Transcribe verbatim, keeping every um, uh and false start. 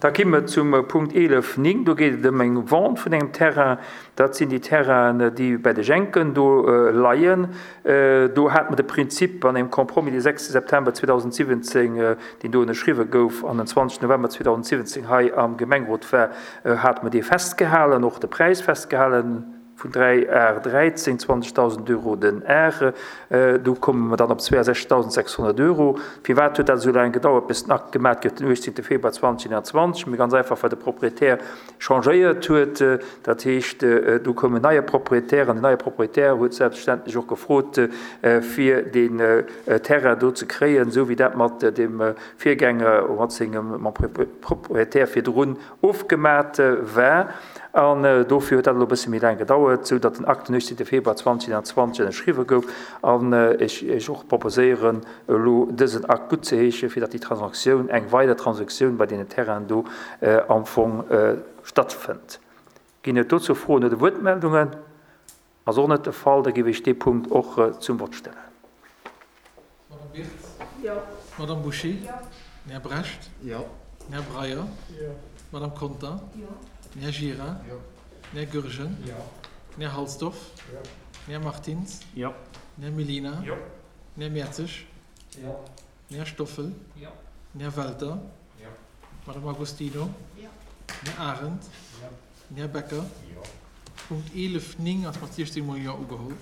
Da komme mer zum Punkt eelef néng. Do geet et ëm eng Vente vun engem Terrain. Dat sinn déi Terrainen, déi bäi de Jenken do leien. Do hate mer de Prinzip an engem Compromis de sechste September zweedausendsiwwenzéng, deen do ënnerschriwwe gouf an den zwanzegsten November zweedausendsiwwenzéng hei am Gemengerot war, hate mer dee festgehalen, och de Präis festgehalen vun dräi Ar dräizéng, zwanzegdausend Euro den Ar. Do komme mer dann op zweeasechzegdausendsechshonnert Euro. Firwat huet dat esou laang gedauert, bis den Akt gemat gouf, den uechtzéngte Februar zweedausendeenanzwanzeg? Mee ganz einfach, well de Proprietär changéiert huet. Dat heescht, do koum en neie Proprietär an den neie Proprietär huet selbstverständlech och gefrot, fir deen Terrain do ze kréien, esou wéi dat mat dem Virgänger, mat sengem, mam Proprietär virdrun ofgemat war. An dofir huet dat elo e bësse méi laang gedauert, sou datt den Akt den uechtzéngte Februar zweedausendeenanzwanzeg ënnerschriwwe gouf. An ech Iech och proposéieren, elo dësen Akt guttzeheeschen, fir datt déi Transaktioun, eng weider Transaktioun bei deenen Terrainen do am Fong stattfënnt. Ginn et dozou Froen oder Wuertmeldungen? Ass och net de Fall. Da géif ech dee Punkt och zum Vott stellen. Madame Wirtz? Jo. Madame Bouché? Jo. Den Här Brecht? Jo. Den Här Breyer? Jo. Madame Conter? Jo. Den Här Gira? Jo. Den Här Goergen? Jo. Den Här Halsdorf? Jo. Den Här Martins? Jo. Den Här Mellina? Jo. Den Här Mertzig? Jo. Den Här Stoffel? Jo. Den Här Welter? Jo. Madame Agostino? Jo. Den Här Arendt? Jo. Den Här Becker? Jo. Punkt eelef néng ass mat siechzéng mol Jo ugeholl.